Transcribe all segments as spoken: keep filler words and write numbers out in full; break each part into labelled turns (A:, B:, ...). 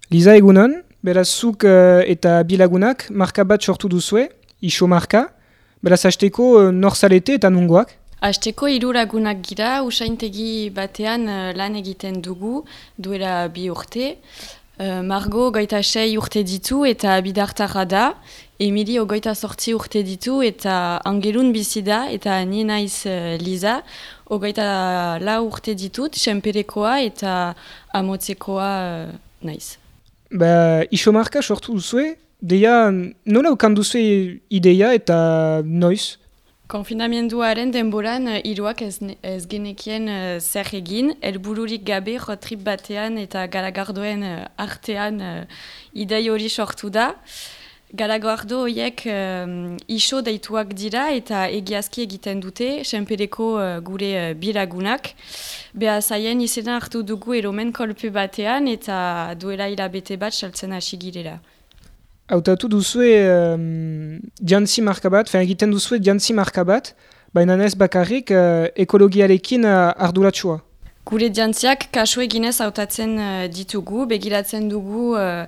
A: Liza egunon, beraz zuk uh, eta bilagunak marka bat sortu duzue, iso marka, beraz hasteko uh, nor zarete eta nungoak?
B: Hasteko hiru lagunak gira, usaintegi batean uh, lan egiten dugu, duela bi urte. Uh, Margo goita sei urte ditu eta bidartarra da, Emili ogoita sortzi urte ditu eta Angelun bizi da, eta ni naiz uh, Liza, ogoita lau urte ditut, senperekoa eta amotzekoa uh, naiz.
A: Ba, iso marka sortu duzue, deia nola ukan duzue ideia eta noiz?
B: Konfinamenduaren denboran hiruak ez, ez genekien uh, zer egin, helbururik gabe rotrip batean eta garagardoen uh, artean uh, idei hori sortu da. Garagardo horiek um, iso deituak dira eta egiazki egiten dute, senpereko uh, gure uh, bilagunak. Beha zaien izena hartu dugu eromen kolpe batean eta duela hilabete bat saltzen hasi girela.
A: Hautatu duzue um, jantzi marka bat, fen egiten duzue jantzi marka bat, baina ez bakarrik uh, ekologiarekin uh, arduratsua.
B: Gure jantziak kasu eginez hautatzen uh, ditugu, begiratzen dugu uh,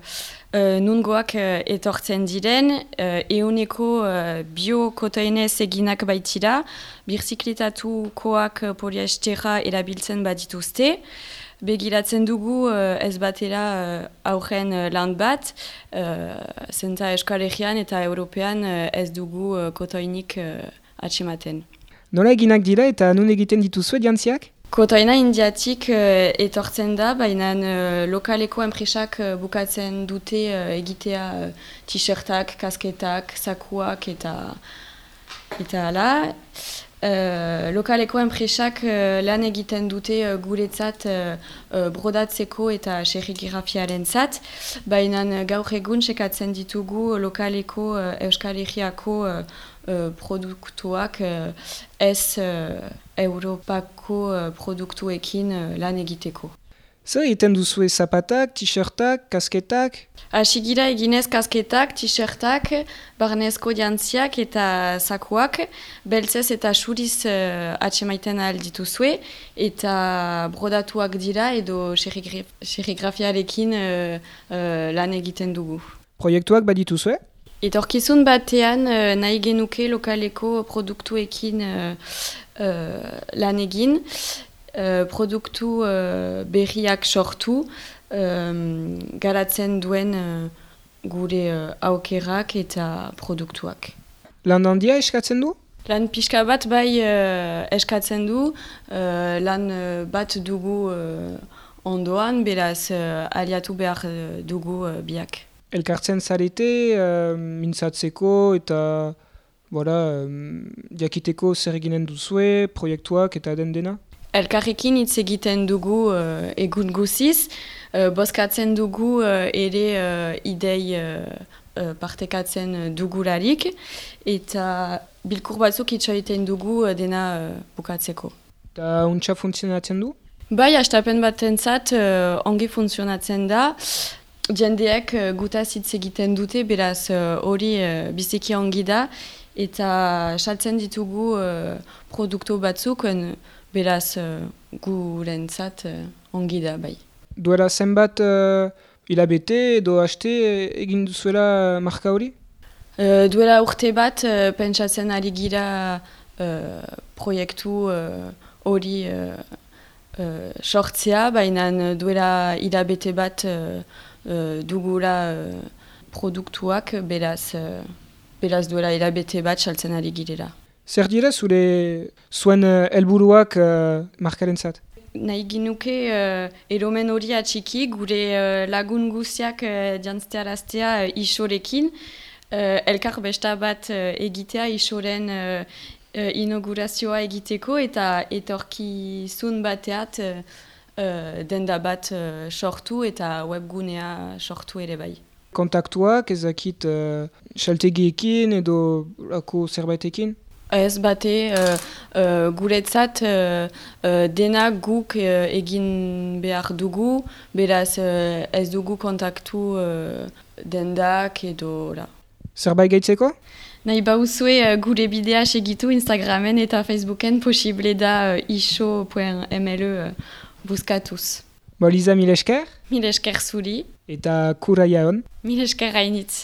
B: uh, nungoak uh, etortzen diren, uh, euneko uh, bio-kotoenez eginak baitira, birziklitatukoak uh, poliestera erabiltzen badituzte. Begiratzen dugu uh, ez batera uh, aurren uh, land bat, uh, zenta Euskal Herrian eta European uh, ez dugu uh, kotoinik uh, atxematen.
A: Nola eginak dira eta nun egiten dituzue jantziak?
B: Kotoina indiatik uh, etortzen da, baina uh, lokaleko enpresak uh, bukatzen dute uh, egitea uh, t-shirtak, kasketak, sakuak eta eta ala. Uh, lokaleko enpresak uh, lan egiten dute uh, guretzat uh, uh, brodatzeko eta serigrafiaren zat, baina uh, gaur egun sekatzen ditugu lokaleko uh, Euskal Herriako uh, uh, produktuak uh, ez uh, Europako uh, produktuekin uh, lan egiteko.
A: Zer egiten duzue zapatak, t-shirtak, kasketak?
B: Asigira eginez kasketak, t-shirtak, barnezko jantziak eta sakuak, beltzez eta suriz uh, atxemaiten ahal dituzue, eta brodatuak dira edo serigrafiarekin uh, uh, lan egiten dugu.
A: Proiektuak badituzue?
B: Etorkizun batean uh, nahi genuke lokaleko produktuekin uh, uh, lan egin, uh, produktu uh, berriak sortu, Um, garatzen duen uh, gure uh, aukerak eta produktuak.
A: Lan handia eskatzen du?
B: Lan pixka bat bai uh, eskatzen du, uh, lan uh, bat dugu uh, ondoan, beraz uh, aliatu behar uh, dugu uh, biak.
A: Elkartzen zarete, uh, mintzatzeko eta voilà, um, jakiteko zer eginen duzue, proiektuak eta den dena?
B: Elkarrekin hitz egiten dugu uh, egun guziz, uh, bozkatzen dugu uh, ere uh, idei uh, uh, partekatzen dugularik, eta bilkur batzuk hitz egiten dugu uh, dena uh, bukatzeko.
A: Eta untxa funtzionatzen du?
B: Bai, hastapen batentzat uh, ongi funtzionatzen da. Jendeek uh, gutaz hitz egiten dute, beraz hori uh, uh, biziki ongi da, eta saltzen ditugu uh, produktu batzuk, uh, beraz uh, gurentzat uh, ongi da, bai.
A: Duela zenbat uh, hilabete edo haste egin duzuela marka hori?
B: Uh, duela urte bat uh, pentsatzen ari gira uh, proiektu hori uh, uh, uh, sortzea, baina duela hilabete bat uh, uh, dugula uh, produktuak, beraz, uh, beraz duela hilabete bat saltzen ari girela.
A: Zer dira zure zuen helburuak uh, markarentzat?
B: Nahi ginuke uh, eromen hori atxiki, gure uh, lagun guztiak uh, jantztearaztea uh, isorekin, uh, elkar besta bat uh, egitea isoren uh, uh, inaugurazioa egiteko eta etorkizun bateat uh, uh, denda bat uh, sortu eta webgunea sortu ere bai.
A: Kontaktuak ezakit uh, xaltegiekin edo lako zerbaitekin?
B: Ez bate, uh, uh, guretzat uh, uh, dena guk uh, egin behar dugu, beraz uh, ez dugu kontaktu uh, dendak edo la.
A: Zerbait gaitzeko?
B: Nahi bauzue uh, gure bidea segitu Instagramen eta Facebooken posible da uh, iso puntu m l uh, buskatuz.
A: Bo, Liza, mil esker?
B: Mil esker zuri.
A: Eta kuraia hon?
B: Mil esker hainitz.